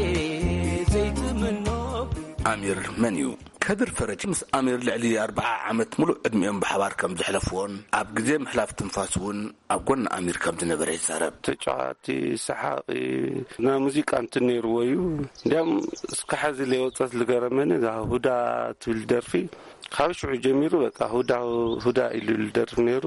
ዘይትምኖ። ኣሚር መን እዩ? ከድር ፈረጂ ምስ ኣሚር ልዕሊ ኣርብዓ ዓመት ሙሉእ ዕድሚኦም ብሓባር ከም ዘሕለፍዎን ኣብ ግዜ ምሕላፍ ትንፋስ እውን ኣብ ጎኒ ኣሚር ከም ዝነበረ ይዛረብ። ተጫዋቲ፣ ሰሓቒ፣ ናይ ሙዚቃ እንትን ነይርዎ እዩ። እንዲያም እስከ ሐዚ ለይወፀት ልገረመኒ እዛ ሁዳ ትብል ደርፊ ካብ ሽዑ ጀሚሩ በቃ ሁዳ፣ ሁዳ ኢሉ ልደርፍ ነይሩ።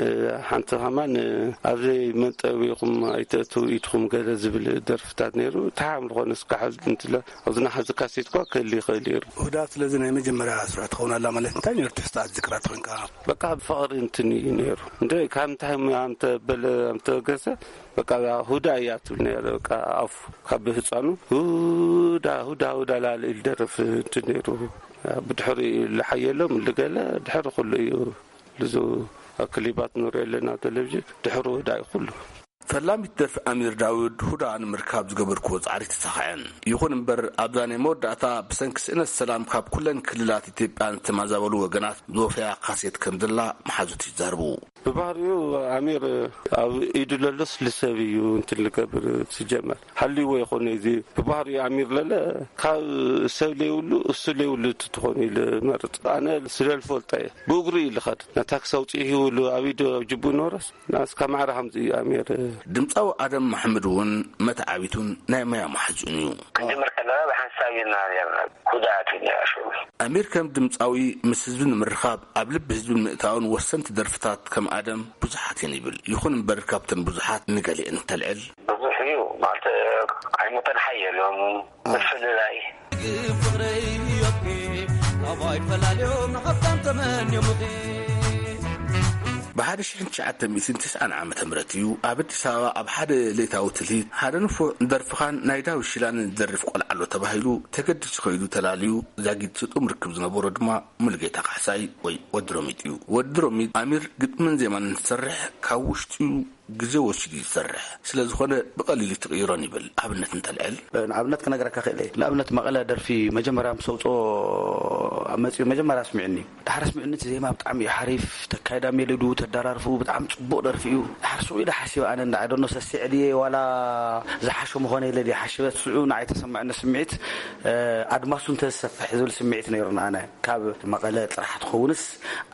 እ፣ ሓንቲ ከማን፣ እ፣ ኣብ ዘይመንጠቢኹም ኣይተእትው ኢድኹም ገለ ዝብል ደርፍታት ነይሩ። ተሓም ዝኾነ እስካዕ ሕዚ እንትለ፣ ኣብዚ ናሓዚ ካሴት እኳ ክህሊ ይኽእል እዩ። ሁዳ ስለዚ ናይ መጀመርያ ስራሕ ትኸውን ኣላ ማለት እንታይ ነይሩ? ትሕዝቶ ዝክራ ተኾንካ? በቃ ብፍቕሪ እንትን እዩ ነይሩ። እንደ ካብ እንታይ ሙያ ኣምተ በለ ኣምተ ገሰ፣ በቃ ሁዳ እያ ትብል ነይረ። በቃ ኣፉ ካብ ህፃኑ ሁዳ፣ ሁዳ፣ ሁዳ ላለ ኢሉ ደርፍ እንትን ነይሩ። ብድሕሪ ልሓየሎም ልገለ ድሕሪ ኩሉ እዩ። ልዙ ኣብ ክሊባት ንሪኦ ኣለና ኣብ ቴሌቪዥን ድሕሩ ወዳኢ ኩሉ። ፈላሚት ደርፊ ኣሚር ዳውድ ሁዳ ንምርካብ ዝገበርክዎ ጻዕሪ ተሳኽዐን። ይኹን እምበር ኣብዛ ናይ መወዳእታ ብሰንኪ ስእነት ሰላም ካብ ኩለን ክልላት ኢትዮጵያ ዝተማዛበሉ ወገናት ዝወፈያ ካሴት ከም ዘላ መሓዙት ይዛርቡ። ብባህሪኡ ኣሚር ኣብ ኢዱ ለሎስ ልሰብ እዩ እንትን ልገብር ዝጀመር። ሃልይዎ ይኾነ እዚ ብባህሪኡ ኣሚር ለለ ካብ ሰብ ለይብሉ እሱ ለይብሉ ትኾን ኢሉ መርጽ። ኣነ ስለ ልፈልጦ እየ ብእግሩ እዩ ልኸድ። ነታ ክሰውፅእ ይብሉ ኣብ ኢዱ ኣብ ጅቡ ኖረስ ናስ ካብ ማዕረ ከምዚ እዩ ኣሚር። ድምፃዊ ኣደም ማሕምድ እውን መተዓቢቱን ናይ መያ ማሕዙን እዩ። ክንጅምር ከለና ብሓንሳብ ኢና ነርና። ጉድኣት እዩ ነይሩ። ኣሚር ከም ድምፃዊ ምስ ህዝቢ ንምርኻብ ኣብ ልቢ ህዝቢ ንምእታውን ወሰንቲ ደርፍታት ከም ኣደም ብዙሓት እየን ይብል። ይኹን እምበር ካብተን ብዙሓት ንገሊአን እንተልዕል። ብዙሕ እዩ ማለት ኣይሞተን ሓየሎም ምፍልላይ። ፍቕረይ እዮብኪ ካባይ ፈላልዮም ንሓብታም ተመንዮምኺ። ብሓደ ሽሕን ትሽዓተ ሚእትን ትስዓን ዓመተ ምህረት እዩ ኣብ ኣዲስ ኣበባ ኣብ ሓደ ሌታዊ ትልሂት ሓደ ንፉዕ ደርፍኻን ናይ ዳዊት ሽላን ዝደርፍ ቆልዓ ኣሎ ተባሂሉ ተገዲሱ ከይዱ ተላልዩ። ዛጊት ስጡም ርክብ ዝነበሮ ድማ ሙሉጌታ ካሕሳይ ወይ ወዲ ሮሚጥ እዩ። ወዲ ሮሚጥ ኣሚር ግጥምን ዜማን እንትሰርሕ ካብ ውሽጡ እዩ ግዜ ወሲዱ እዩ ዝሰርሕ። ስለ ዝኾነ ብቐሊሉ ትቕይሮን ይብል። ኣብነት እንተልዕል። ንኣብነት ክነግረካ ክእል እየ። ንኣብነት መቐለ ደርፊ መጀመርያ ምስ ኣውፅኦ መፂኡ መጀመርያ ኣስሚዕኒ። ዳሕር ኣስሚዕኒ እቲ ዜማ ብጣዕሚ እዩ ሓሪፍ። ተካይዳ ሜሎዱ ተደራርፉ ብጣዕሚ ፅቡቕ ደርፊ እዩ። ዳሕር ስኡ ኢለ ሓሲበ ኣነ እንዳ I don't know ሰሲዐ ድየ ዋላ ዝሓሸ ምኾነ ኢለ ድየ ሓሲበ። ስኡ ንዓይ ተሰማዕኒ ስምዒት ኣድማሱ እንተዝሰፍሕ ዝብል ስምዒት ነይሩና ኣነ። ካብ መቐለ ጥራሕ ትኸውንስ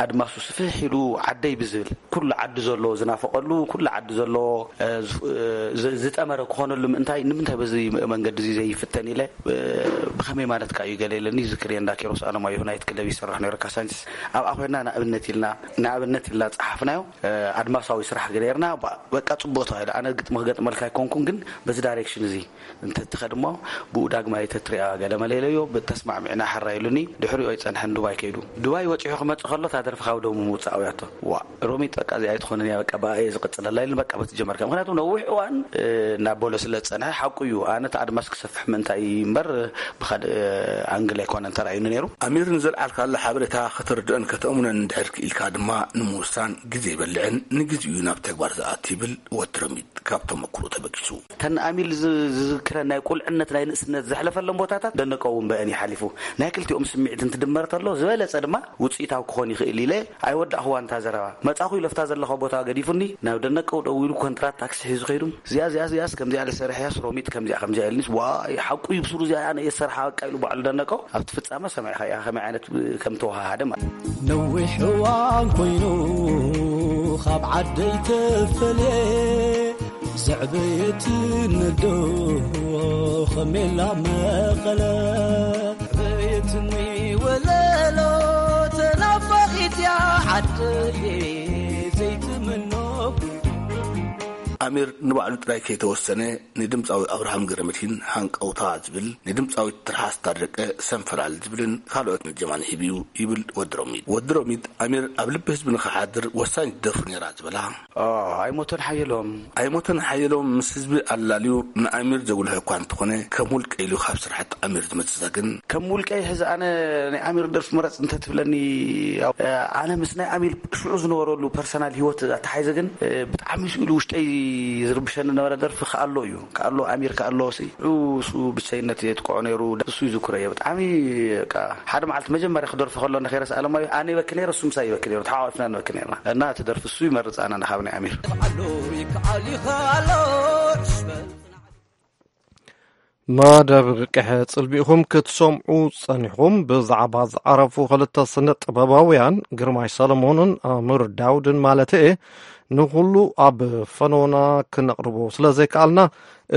ኣድማሱ ስፍሕ ኢሉ ዓደይ ብዝብል ኩሉ ዓዲ ዘሎ ዝናፈቐሉ ኩሉ ዓዲ ዘሎ ዝጠመረ ክኾነሉ ምእንታይ ንምንታይ በዚ መንገዲ እዚ ዘይፍተን ኢለ ብኸመይ ማለት ከ እዩ ገለ ኢለኒ። ዝክር እየ እንዳ ኪሮስ ኣለማየሁ ናይት ክለብ ይሰርሕ ነይሩ ካሳንችስ ኣብኣ ኮይና ንኣብነት ኢልና ንኣብነት ኢልና ፀሓፍናዮ። ኣድማሳዊ ስራሕ ገይርና በቃ ፅቡቅ ተባሂሉ ኣነ ግጥሚ ክገጥመልካ ኣይኮንኩን ግን በዚ ዳይሬክሽን እዚ እንተትኸድ እሞ ብኡ ዳግማይ ተትሪኣ ገለ መለ ኢለዮ። ተስማዕሚዕና ሕራይ ኢሉኒ። ድሕሪኡ ኣይጸንሐን ዱባይ ከይዱ። ዱባይ ወጺሑ ክመጽእ ከሎ እታ ደርፊ ካብ ደሙ ምውጻእ ኣውያቶ። ዋእ ሮሚጥ በቃ እዚኣ ኣይትኾንን እያ በቃ ብኣ እየ ዝቕጽለላ ኢሉኒ። በቃ በቲ ጀመርካ ምኽንያቱ ነዊሕ እዋን እናበሎ ስለ ዝጸንሐ ሓቁ እዩ። ኣነ እቲ ኣድማስ ክሰፍሕ ምእንታይ እምበር ብኻልእ ኣንግል ኣይኮነን ተራእዩኒ ነይሩ። ኣሚር ንዘልዓልካሉ ሓበሬታ ከተርድኦን ከተእምኖን እንድሕር ክኢልካ ድማ ንምውሳን ግዜ ይበልዕን ንግዚኡ ናብ ተግባር ዝኣቱ ይብል ወዲ ሮሚጥ። ካብ ተመክሮ ተበጊሱ። ተን ኣሚል ዝዝክረ ናይ ቁልዕነት ናይ ንእስነት ዘሕለፈሎም ቦታታት ደነቀው እውን በእን ይሓሊፉ ናይ ክልቲኦም ስምዒት እንትድመር ተሎ ዝበለጸ ድማ ውፅኢታዊ ክኾን ይኽእል ኢለ ኣይወዳእኽዋ እንታ ዘረባ መጻኹ ኢለፍታ ዘለኻ ቦታ ገዲፉኒ ናብ ደነቀው ደው ኢሉ ኮንትራት ታክሲ ሒዙ ከይዱ እዚኣ እዚኣ እዚኣስ ከምዚኣ ለሰርሕያስ ሮሚጥ ከምዚኣ ከምዚኣ ኢልኒስ ዋይ ሓቁ ይብስሩ እዚኣ ኣነ እየ ዝሰርሓ በቃ ኢሉ ባዕሉ ደነቀው ኣብቲ ፍጻመ ሰሚዕኻ ኢኻ ከመይ ዓይነት ከም ተወሃሃደ ማለት ነዊሕ እዋን ኮይኑ ካብ ዓደይ ተፈልየ ዘዕበየትኒ ኣዶ ከሜላ መቐለ ዘዕበየትኒ ወለሎ ተናፋቒት እያ ዓደየ ዘይትምኖ ኣሚር ንባዕሉ ጥራይ ከይተወሰነ ንድምፃዊ ኣብርሃም ገረመድሂን ሃንቀውታ ዝብል ንድምፃዊት ትርሓስ ታደቀ ሰንፈላል ዝብልን ካልኦት ጀማን ሂብዩ ይብል ወዲ ሮሚጥ። ወዲ ሮሚጥ ኣሚር ኣብ ልቢ ህዝቢ ንኽሓድር ወሳኝ ደርፉ ነይራ ዝበላ ኣይሞተን ሓየሎም ኣይሞተን ሓየሎም ምስ ህዝቢ ኣላልዩ ንኣሚር ዘጉልሖ እኳ እንተኾነ ከም ውልቀ ኢሉ ካብ ስራሕቲ ኣሚር ዝመፅእ ግን ከም ውልቀይ ሕዚ ኣነ ናይ ኣሚር ደርፊ ምረፅ እንተትብለኒ ኣነ ምስ ናይ ኣሚር ሽዑ ዝነበረሉ ፐርሰናል ሂወት ኣተሓይዘ ግን ብጣዕሚ ስኢሉ ውሽጠይ ዝርብሸኒ ነበረ ደርፊ ከኣሎ እዩ ከኣሎ ኣሚር ከኣሎ ሲ ሽዑ እሱ ብቸይነት የጥቅዖ ነይሩ እሱ ይዝክሮ እየ ብጣዕሚ ሓደ መዓልቲ መጀመርያ ክደርፊ ከሎ ንኸይረስ ኣለማዮ ኣነ ይበኪ ነይረ እሱ ምሳይ ይበኪ ነይሩ ተሓቋፊና ንበኪ ነይርና እና እቲ ደርፊ እሱ ይመርፅ ኣነ ንካብ ናይ ኣሚር ይከኣሉ ይከኣሉ ይኸኣሉ መደብ ቅሐ ጽልሚኹም ክትሰምዑ ጸኒኹም። ብዛዕባ ዝዓረፉ ክልተ ስነ ጥበባውያን ግርማይ ሰለሞንን ኣምር ዳውድን ማለት እየ ንኹሉ ኣብ ፈኖና ክነቕርቦ ስለ ዘይከኣልና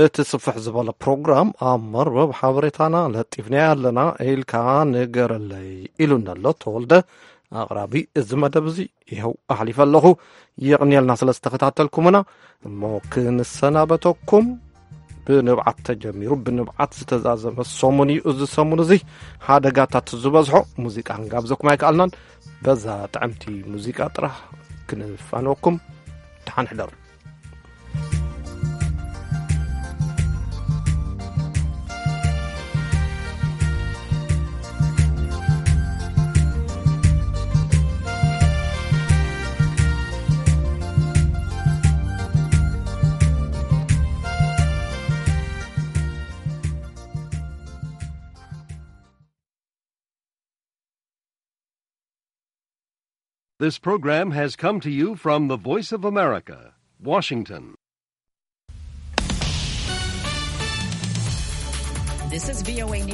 እቲ ስፍሕ ዝበለ ፕሮግራም ኣብ መርበብ ሓበሬታና ለጢፍና ኣለና ኢልካ ንገረለይ ኢሉ ነሎ ተወልደ ኣቕራቢ እዚ መደብ እዚ ይኸው ኣሕሊፈ ኣለኹ። የቕንየልና ስለ ዝተኸታተልኩምና። እሞ ክንሰናበተኩም ብንብዓት ተጀሚሩ ብንብዓት ዝተዛዘመ ሰሙን እዩ። እዚ ሰሙን እዚ ሓደጋታት ዝበዝሖ ሙዚቃ ክንጋብዘኩም ኣይከኣልናን። በዛ ጥዕምቲ ሙዚቃ ጥራሕ ክንፋነወኩም። ደሓን ሕደሩ። This program has come to you from the Voice of America, Washington. This is V O A News.